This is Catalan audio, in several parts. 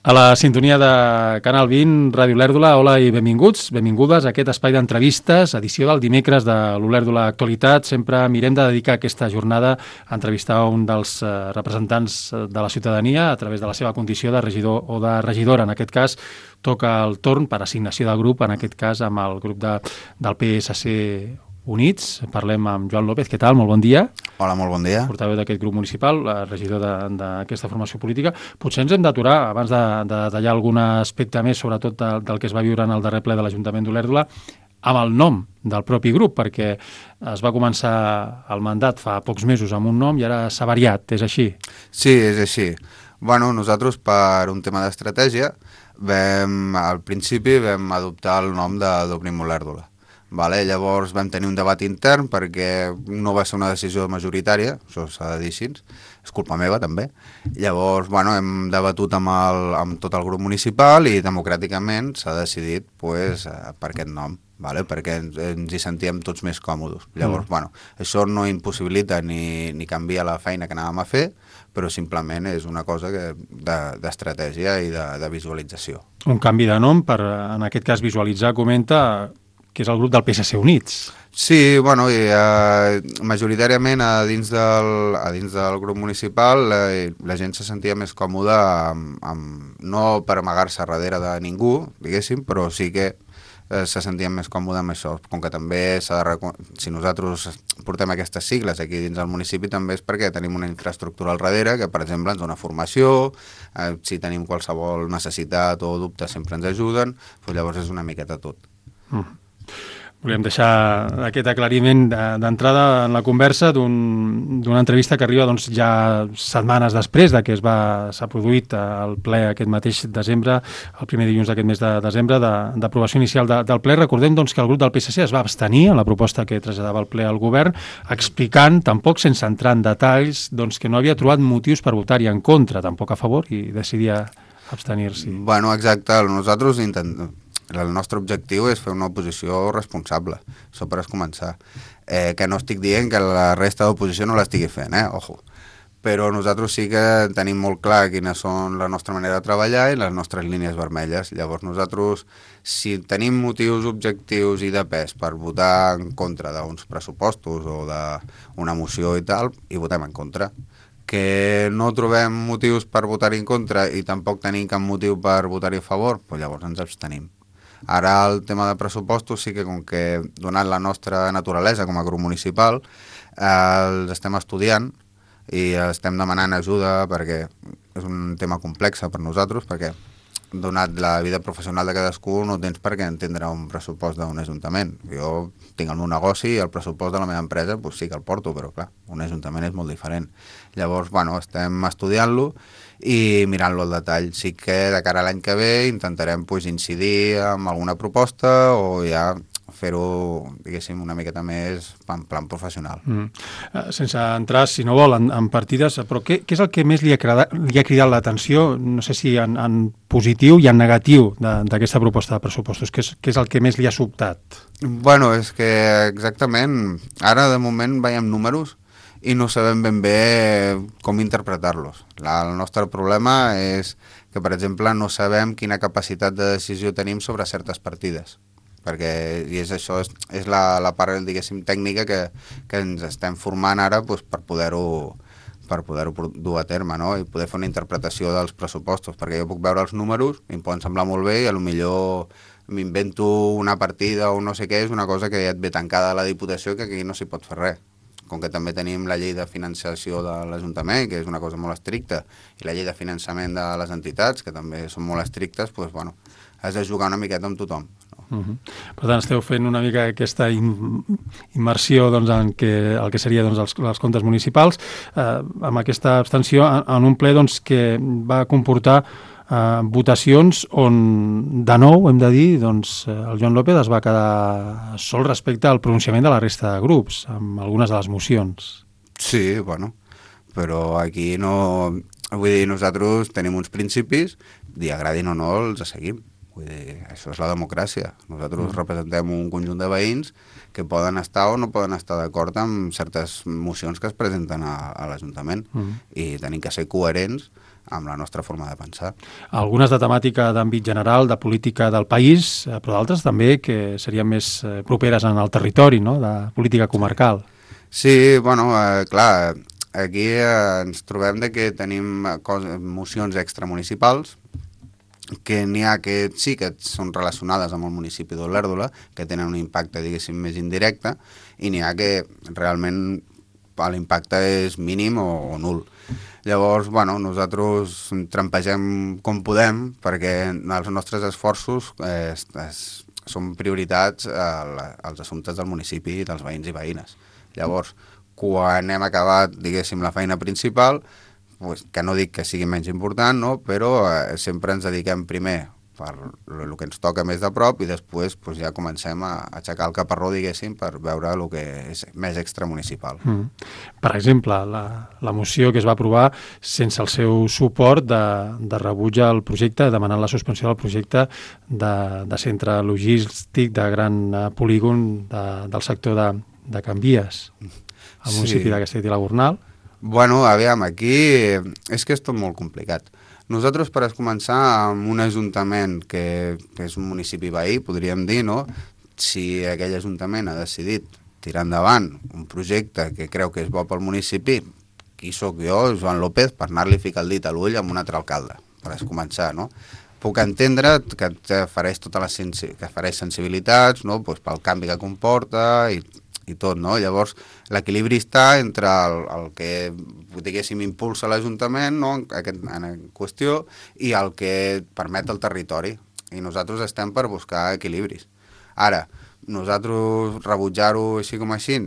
A la sintonia de Canal 20, Ràdio Olèrdola, hola i benvinguts, benvingudes a aquest espai d'entrevistes, edició del dimecres de l'Olèrdola Actualitat. Sempre mirem de dedicar aquesta jornada a entrevistar un dels representants de la ciutadania a través de la seva condició de regidor o de regidora. En aquest cas, toca el torn per assignació de grup, en aquest cas amb el grup del PSC Units. Parlem amb Joan López. Què tal? Molt bon dia. Hola, molt bon dia. Portaveu d'aquest grup municipal, regidor d'aquesta formació política. Potser ens hem d'aturar, abans de detallar algun aspecte més, sobretot del que es va viure en el darrer ple de l'Ajuntament d'Olèrdola, amb el nom del propi grup, perquè es va començar el mandat fa pocs mesos amb un nom i ara s'ha variat, és així? Sí, és així. Bueno, nosaltres, per un tema d'estratègia, al principi vam adoptar el nom d'Obrim Olèrdola. Vale, llavors vam tenir un debat intern perquè no va ser una decisió majoritària, això s'ha de dir així, és culpa meva també. Llavors, bueno, hem debatut amb tot el grup municipal i democràticament s'ha decidit per aquest nom, vale? Perquè ens hi sentíem tots més còmodes. Llavors, bueno, això no impossibilita ni canvia la feina que anàvem a fer, però simplement és una cosa d'estratègia i de visualització. Un canvi de nom per, en aquest cas, visualitzar, comenta, que és el grup del PSC Units. Sí, bueno, majoritàriament a dins del grup municipal la gent se sentia més còmoda no per amagar-se darrere de ningú, diguéssim, però sí que se sentien més còmode amb això, com que també si nosaltres portem aquestes sigles aquí dins del municipi també és perquè tenim una infraestructura al darrere que, per exemple, ens dona formació, si tenim qualsevol necessitat o dubte sempre ens ajuden, doncs llavors és una miqueta tot. Volíem deixar aquest aclariment d'entrada en la conversa d'una entrevista que arriba ja setmanes després de que s'ha produït el ple aquest mateix desembre, el primer dilluns d'aquest mes de desembre, d'aprovació inicial del ple. Recordem que el grup del PSC es va abstenir en la proposta que traslladava el ple al govern, explicant, tampoc sense entrar en detalls, que no havia trobat motius per votar-hi en contra, tampoc a favor, i decidia abstenir-s'hi. Bueno, exacte, nosaltres el nostre objectiu és fer una oposició responsable, això per començar. Que no estic dient que la resta d'oposició no l'estigui fent, ojo. Però nosaltres sí que tenim molt clar quines són la nostra manera de treballar i les nostres línies vermelles. Llavors nosaltres, si tenim motius objectius i de pes per votar en contra d'uns pressupostos o d'una moció i tal, hi votem en contra. Que no trobem motius per votar-hi en contra i tampoc tenim cap motiu per votar-hi a favor, doncs llavors ens abstenim. Ara el tema de pressupostos sí que, com que donat la nostra naturalesa com a grup municipal, els estem estudiant i estem demanant ajuda perquè és un tema complex per nosaltres, perquè donat la vida professional de cadascú no tens per què entendre un pressupost d'un ajuntament. Jo tinc el meu negoci i el pressupost de la meva empresa sí que el porto, però clar, un ajuntament és molt diferent. Llavors, bueno, estem estudiant-lo i mirant-lo al detall. Sí que de cara a l'any que ve intentarem incidir en alguna proposta o ja fer-ho, diguéssim, una miqueta més en plan professional. Sense entrar, si no vol, en partides, però què és el que més li ha cridat l'atenció, no sé si en positiu i en negatiu d'aquesta proposta de pressupostos? Què és el que més li ha sobtat? Bueno, és que exactament, ara de moment veiem números i no sabem ben bé com interpretar-los. El nostre problema és que, per exemple, no sabem quina capacitat de decisió tenim sobre certes partides. Perquè és la part, diguéssim, tècnica que ens estem formant ara per poder-ho dur a terme, no? I poder fer una interpretació dels pressupostos, perquè jo puc veure els números, em poden semblar molt bé i potser m'invento una partida o no sé què, és una cosa que ja et ve tancada a la Diputació que aquí no s'hi pot fer res. Com que també tenim la llei de finançació de l'Ajuntament, que és una cosa molt estricta, i la llei de finançament de les entitats, que també són molt estrictes, doncs, bueno, has de jugar una miqueta amb tothom. Per tant, esteu fent una mica aquesta immersió en el que seria els comptes municipals, amb aquesta abstenció en un ple que va comportar votacions on, de nou, hem de dir, el Joan López es va quedar sol respecte al pronunciament de la resta de grups, amb algunes de les mocions. Sí, bueno, però aquí no... Vull dir, nosaltres tenim uns principis i agradin o no els seguim. Vull dir, això és la democràcia. Nosaltres representem un conjunt de veïns que poden estar o no poden estar d'acord amb certes mocions que es presenten a l'Ajuntament i tenim que ser coherents amb la nostra forma de pensar. Algunes de temàtica d'àmbit general, de política del país, però d'altres també que serien més properes en el territori, no?, de política comarcal. Sí, bueno, clar, aquí ens trobem de que tenim mocions extramunicipals, que n'hi ha que sí que són relacionades amb el municipi d'Olèrdola, que tenen un impacte, diguéssim, més indirecte, i n'hi ha que realment l'impacte és mínim o nul. Llavors, bueno, nosaltres trampegem com podem, perquè els nostres esforços són prioritats als assumptes del municipi i dels veïns i veïnes. Llavors, quan hem acabat, diguéssim, la feina principal, pues, que no dic que sigui menys important, no? Però sempre ens dediquem primer per el que ens toca més de prop i després pues, ja comencem a aixecar el caparró, diguéssim, per veure el que és més extramunicipal. Per exemple, la moció que es va aprovar sense el seu suport de rebuig al projecte, demanant la suspensió del projecte de centre logístic de gran polígon del sector de Can Vies, al municipi de Castellet i la Gornal. Bueno, aviam, aquí és que és tot molt complicat. Nosaltres, per començar, amb un ajuntament que és un municipi veí, podríem dir, no? Si aquell ajuntament ha decidit tirar endavant un projecte que creu que és bo pel municipi, qui sóc jo, Joan López, per anar-li a ficar el dit a l'ull amb un altre alcalde, per començar, no? Puc entendre que fareix que fareix sensibilitats, no? Pues pel canvi que comporta i tot, no? Llavors, l'equilibri està entre el que, diguéssim, impulsa l'Ajuntament, no?, en qüestió, i el que permet el territori. I nosaltres estem per buscar equilibris. Ara, nosaltres rebutjar-ho així com així,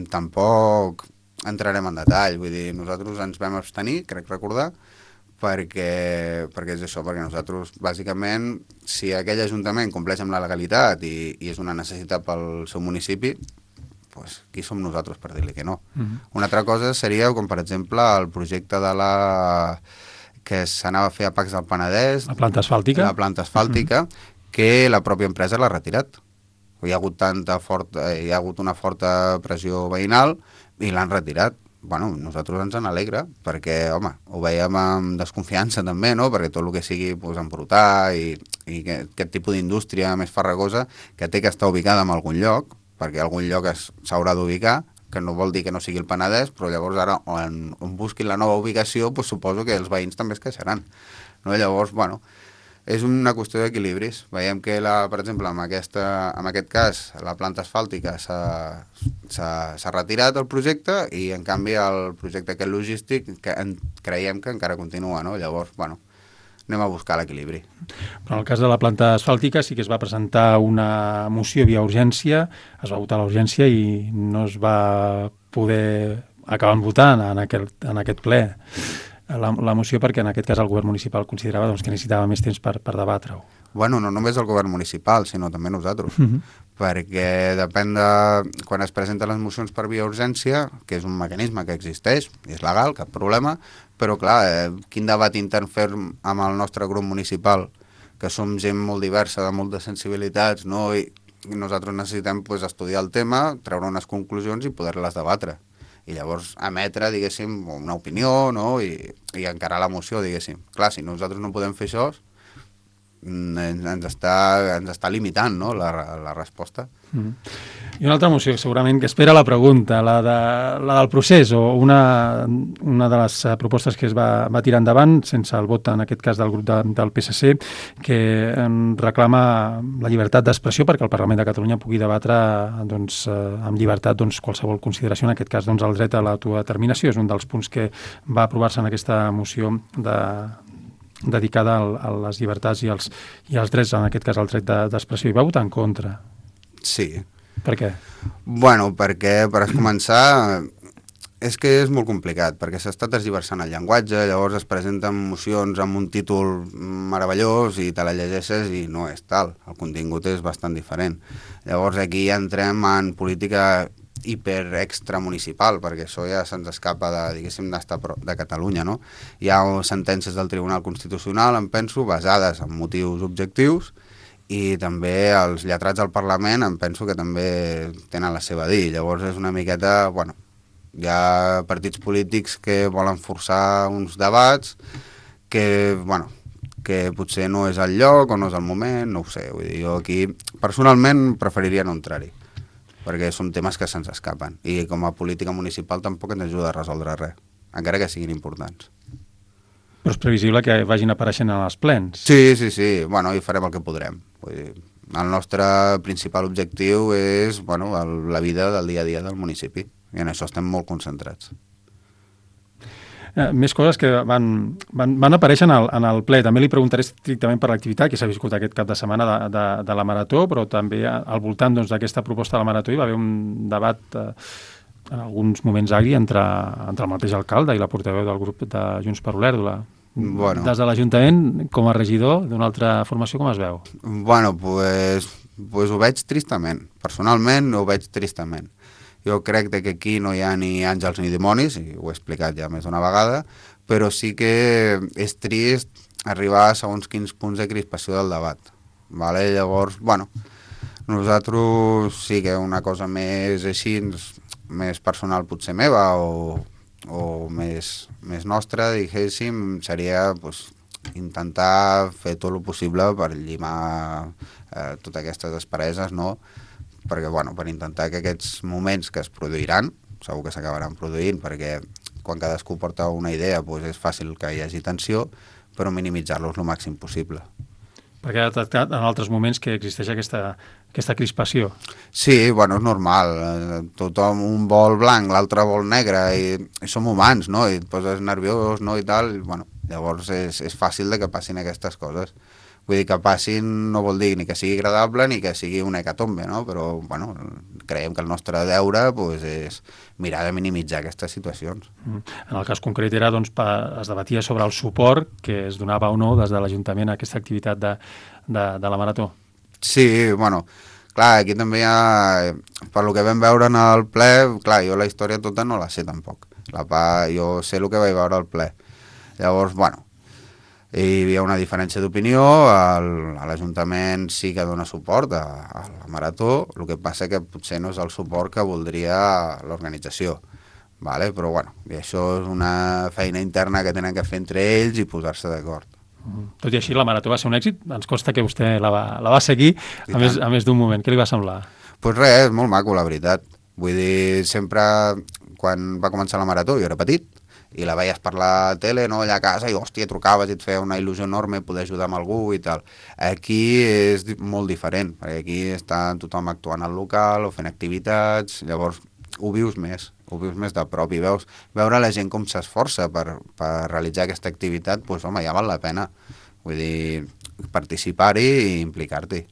tampoc entrarem en detall. Vull dir, nosaltres ens vam abstenir, crec recordar, perquè és això, perquè nosaltres, bàsicament, si aquell Ajuntament compleix amb la legalitat i és una necessitat pel seu municipi, pues, qui som nosaltres per dir-li que no? Una altra cosa seria, com per exemple, el projecte que s'anava a fer a Pacs del Penedès, la planta asfàltica, que la pròpia empresa l'ha retirat. Hi ha hagut una forta pressió veïnal i l'han retirat. Bueno, nosaltres ens n'alegra, perquè, home, ho veiem amb desconfiança també, no?, perquè tot el que sigui pues, embrutar i aquest tipus d'indústria més farragosa que té que estar ubicada en algun lloc, perquè algun lloc s'haurà d'ubicar, que no vol dir que no sigui el Penedès, però llavors ara on busquin la nova ubicació, pues, suposo que els veïns també es queixaran. No? Llavors, bueno, és una qüestió d'equilibris. Veiem que, per exemple, en aquest cas, la planta asfàltica s'ha retirat el projecte i, en canvi, el projecte aquest logístic creiem que encara continua, no? Llavors, bueno, anem a buscar l'equilibri. Però en el cas de la planta asfàltica sí que es va presentar una moció via urgència, es va votar l'urgència i no es va poder acabar votant en aquest ple la moció perquè en aquest cas el govern municipal considerava que necessitava més temps per debatre-ho. Bueno, no només el govern municipal, sinó també nosaltres, perquè depèn de quan es presenten les mocions per via urgència, que és un mecanisme que existeix, és legal, cap problema, però clar, quin debat intern fer amb el nostre grup municipal, que som gent molt diversa, de moltes sensibilitats, no? I nosaltres necessitem pues, estudiar el tema, treure unes conclusions i poder-les debatre. I llavors emetre, diguéssim, una opinió, no? I encarar la moció, diguéssim. Clar, si nosaltres no podem fer això, ens està limitant, no?, la resposta. I una altra moció, segurament, que espera la pregunta, la del procés, o una de les propostes que es va tirar endavant, sense el vot, en aquest cas, del grup del PSC, que reclama la llibertat d'expressió perquè el Parlament de Catalunya pugui debatre amb llibertat qualsevol consideració, en aquest cas el dret a l'autodeterminació. És un dels punts que va aprovar-se en aquesta moció dedicada a les llibertats i als drets, en aquest cas el dret d'expressió, i va votar en contra. Sí. Per què? Bueno, perquè, per començar, és que és molt complicat, perquè s'està tergiversant el llenguatge, llavors es presenten mocions amb un títol meravellós i te la llegeixes i no és tal, el contingut és bastant diferent. Llavors aquí ja entrem en política hiper-extramunicipal, perquè això ja se'ns escapa de Catalunya, no? Hi ha sentències del Tribunal Constitucional, em penso, basades en motius objectius, i també els lletrats del Parlament em penso que també tenen la seva dir. Llavors és una miqueta, hi ha partits polítics que volen forçar uns debats que, bueno, que potser no és el lloc o no és el moment, no ho sé. Vull dir, jo aquí personalment preferiria no entrar-hi, perquè són temes que se'ns escapen. I com a política municipal tampoc ens ajuda a resoldre res, encara que siguin importants. Però és previsible que vagin apareixent en els plens. Sí. Bueno, i farem el que podrem. Vull dir, el nostre principal objectiu és, bueno, la vida del dia a dia del municipi. I en això estem molt concentrats. Més coses que van aparèixer en el ple. També li preguntaré estrictament per l'activitat que s'ha viscut aquest cap de setmana de la Marató, però també al voltant d'aquesta proposta de la Marató hi va haver un debat en alguns moments agri entre el mateix alcalde i la portaveu del grup de Junts per Olèrdola. Bueno. Des de l'Ajuntament, com a regidor d'una altra formació, com es veu? Bueno, pues ho veig tristament. Personalment ho veig tristament. Jo crec que aquí no hi ha ni àngels ni dimonis, i ho he explicat ja més d'una vegada, però sí que és trist arribar a segons quins punts de crispació del debat. Vale? Llavors, bueno, nosaltres sí que una cosa més així, més personal potser meva o més nostra, diguéssim, seria pues, intentar fer tot el possible per llimar totes aquestes aspereses, no? Perquè, bueno, per intentar que aquests moments que es produiran, segur que s'acabaran produint, perquè quan cadascú porta una idea doncs és fàcil que hi hagi tensió, però minimitzar-los el màxim possible. Perquè ha detectat en altres moments que existeix aquesta crispació. Sí, bueno, és normal. Tothom un vol blanc, l'altre vol negre, i som humans, no? I et poses nerviós, no? I tal, bueno, llavors és fàcil de que passin aquestes coses. Vull dir, que passin no vol dir ni que sigui agradable ni que sigui una hecatombe, no? Però, bueno, creiem que el nostre deure pues, és mirar de minimitzar aquestes situacions. En el cas concret era, doncs, es debatia sobre el suport que es donava o no des de l'Ajuntament a aquesta activitat de la Marató. Sí, bueno, clar, aquí també hi ha, per lo que vam veure en el ple, clar, jo la història tota no la sé tampoc. Jo sé el que vaig veure al ple. Llavors, bueno, hi havia una diferència d'opinió, l'Ajuntament sí que dona suport a la Marató, el que passa que potser no és el suport que voldria l'organització, vale? Però bueno, i això és una feina interna que tenen que fer entre ells i posar-se d'acord. Tot i així, la Marató va ser un èxit, ens consta que vostè la va seguir a més d'un moment. Què li va semblar? Doncs res, és molt maco, la veritat. Vull dir, sempre, quan va començar la Marató, jo era petit, i la veies per la tele, no, allà a casa, i hòstia, trucaves i et feia una il·lusió enorme poder ajudar amb algú i tal. Aquí és molt diferent, perquè aquí està tothom actuant al local o fent activitats, llavors ho vius més de prop i veure la gent com s'esforça per realitzar aquesta activitat, doncs home, ja val la pena. Vull dir, participar-hi i implicar-t'hi.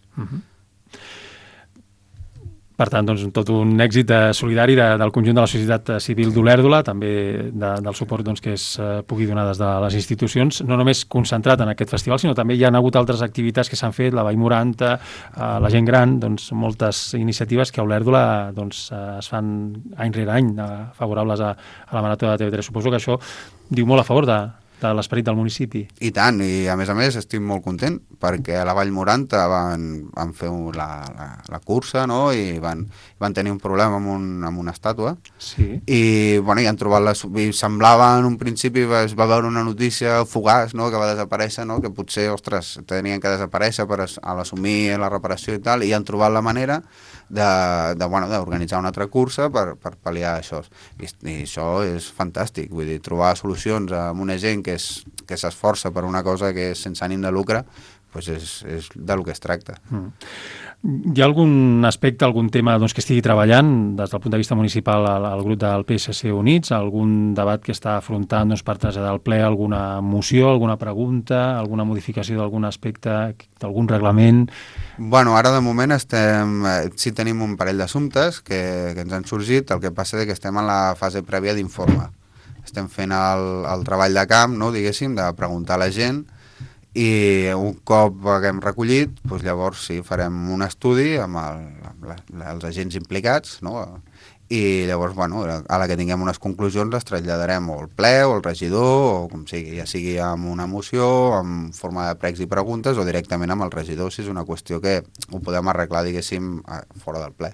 Per tant, doncs, tot un èxit solidari del conjunt de la societat civil d'Olèrdola, també del suport doncs, que es pugui donar des de les institucions, no només concentrat en aquest festival, sinó també hi ha hagut altres activitats que s'han fet, la Vall Moranta, la gent gran, doncs, moltes iniciatives que a Olèrdola doncs, es fan any rere any favorables a la Marató de TV3. Suposo que això diu molt a favor de l'esperit del municipi. I tant, i a més estic molt content perquè a la Vall Moranta van fer la cursa, no? I van tenir un problema amb una estàtua. Sí. I, bueno, i han trobat i semblava en un principi, es va veure una notícia fugaç, no? Que va desaparèixer, no? Que potser, ostres, tenien que desaparèixer per assumir la reparació i tal, i han trobat la manera d'organitzar una altra cursa per pal·liar això. I això és fantàstic, vull dir, trobar solucions amb una gent que s'esforça per una cosa que és sense ànim de lucre, doncs és del que es tracta. Hi ha algun aspecte, algun tema doncs, que estigui treballant des del punt de vista municipal al grup del PSC Units, algun debat que està afrontant doncs, per traslladar al ple alguna moció, alguna pregunta, alguna modificació d'algun aspecte, d'algun reglament? Bueno, ara de moment sí tenim un parell d'assumptes que ens han sorgit, el que passa és que estem en la fase prèvia d'informe. Estem fent el treball de camp, no, diguéssim, de preguntar a la gent, i un cop haguem recollit, doncs llavors sí, farem un estudi amb els agents implicats, no? I llavors, bueno, a la que tinguem unes conclusions les traslladarem o al ple o al regidor, o com sigui, ja sigui amb una moció, en forma de pregs i preguntes, o directament amb el regidor, si és una qüestió que ho podem arreglar, diguéssim, fora del ple.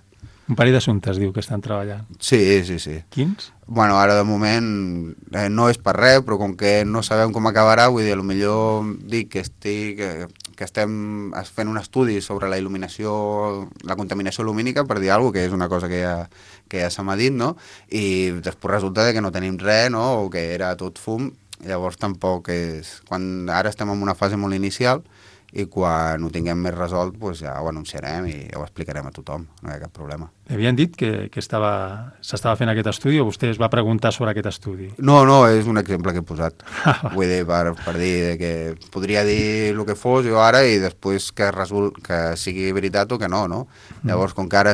Un parell d'assumptes, diu, que estan treballant. Sí. Quins? Bueno, ara de moment no és per res, però com que no sabem com acabarà, vull dir, potser dic que estem fent un estudi sobre la il·luminació, la contaminació lumínica, per dir alguna cosa, que és una cosa que ja se m'ha dit, no? I després resulta que no tenim res, no? O que era tot fum, llavors tampoc és... Ara estem en una fase molt inicial i quan ho tinguem més resolt doncs ja ho anunciarem i ja ho explicarem a tothom, no hi ha cap problema. Havien dit que s'estava fent aquest estudi o vostè es va preguntar sobre aquest estudi? No, és un exemple que he posat. Vull dir, per dir que podria dir el que fos jo ara i després que sigui veritat o que no, no? Llavors, com que ara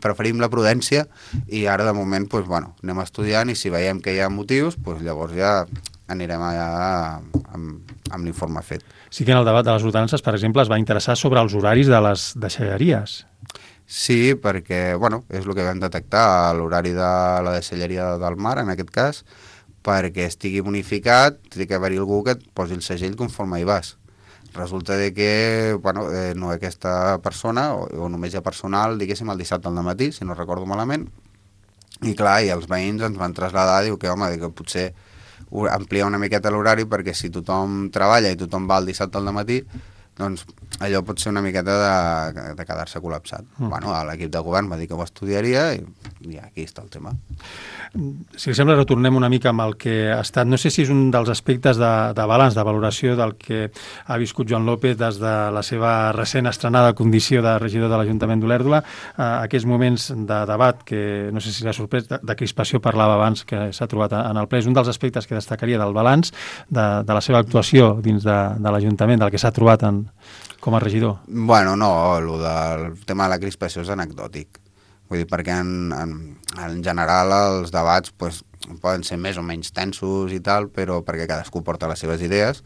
preferim la prudència i ara de moment, doncs, bueno, anem estudiant i si veiem que hi ha motius, doncs llavors ja anirem allà amb l'informe fet. Sí que en el debat de les ordenances, per exemple, es va interessar sobre els horaris de les deixalleries. Sí, perquè, bueno, és el que vam detectar, l'horari de la deixalleria del mar, en aquest cas, perquè estigui bonificat, té que haver-hi algú que et posi el segell conforme hi vas. Resulta que, bueno, no aquesta persona, o només hi ha personal, diguéssim, el dissabte al matí, si no recordo malament, i clar, i els veïns ens van traslladar, diu que, home, que potser ampliar una miqueta l'horari perquè si tothom treballa i tothom va el dissabte al matí, doncs allò pot ser una miqueta de quedar-se col·lapsat. Bueno, l'equip de govern va dir que ho estudiaria i aquí està el tema. Si li sembla, retornem una mica amb el que ha estat. No sé si és un dels aspectes de balanç, de valoració del que ha viscut Joan López des de la seva recent estrenada condició de regidor de l'Ajuntament d'Olèrdola. Aquests moments de debat, que no sé si l'ha sorprès, de crispació parlava abans que s'ha trobat en el ple. És un dels aspectes que destacaria del balanç de la seva actuació dins de l'Ajuntament, del que s'ha trobat com a regidor. Bueno, no, el tema de la crispació és anecdòtic. Vull dir, perquè en general els debats pues, poden ser més o menys tensos i tal, però perquè cadascú porta les seves idees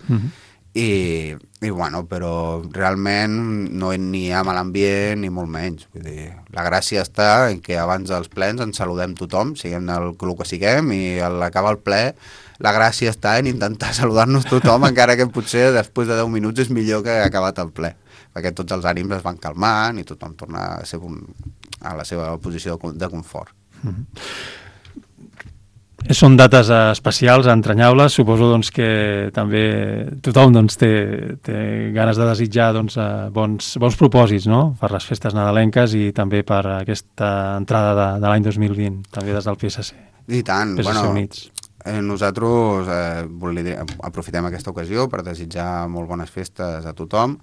i bueno, però realment no ni hi ha mal ambient ni molt menys. Vull dir, la gràcia està en que abans dels plens ens saludem tothom, siguem el que siguem, i a l'acabar el ple la gràcia està en intentar saludar-nos tothom, encara que potser després de 10 minuts és millor que ha acabat el ple, perquè tots els ànims es van calmant i tothom torna a la seva posició de confort. Són dates especials, entranyables. Suposo doncs, que també tothom doncs, té ganes de desitjar doncs, bons propòsits, no? Per les festes nadalenques i també per aquesta entrada de l'any 2020, també des del PSC. I tant, PSC Units. Nosaltres aprofitem aquesta ocasió per desitjar molt bones festes a tothom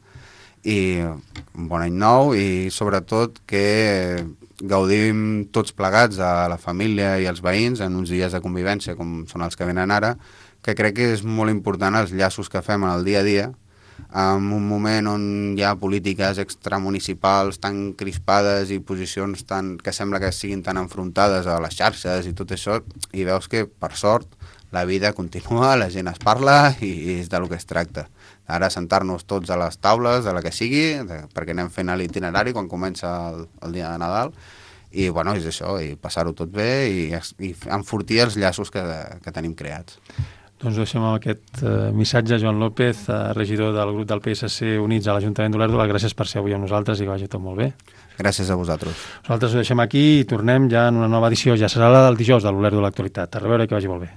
i un bon any nou i sobretot que gaudim tots plegats a la família i als veïns en uns dies de convivència com són els que venen ara, que crec que és molt important els llaços que fem en el dia a dia en un moment on hi ha polítiques extramunicipals tan crispades i posicions que sembla que siguin tan enfrontades a les xarxes i tot això, i veus que per sort la vida continua, la gent es parla i és del que es tracta. Ara sentar-nos tots a les taules, de la que sigui, perquè anem fent l'itinerari quan comença el dia de Nadal, i bueno, és això, i passar-ho tot bé i enfortir els llaços que tenim creats. Doncs deixem aquest missatge, Joan López, regidor del grup del PSC Units a l'Ajuntament d'Olèrdola. Gràcies per ser avui amb nosaltres i que vagi tot molt bé. Gràcies a vosaltres. Nosaltres ho deixem aquí i tornem ja en una nova edició. Ja serà la del dijous de l'Olèrdola Actualitat. A reveure i que vagi molt bé.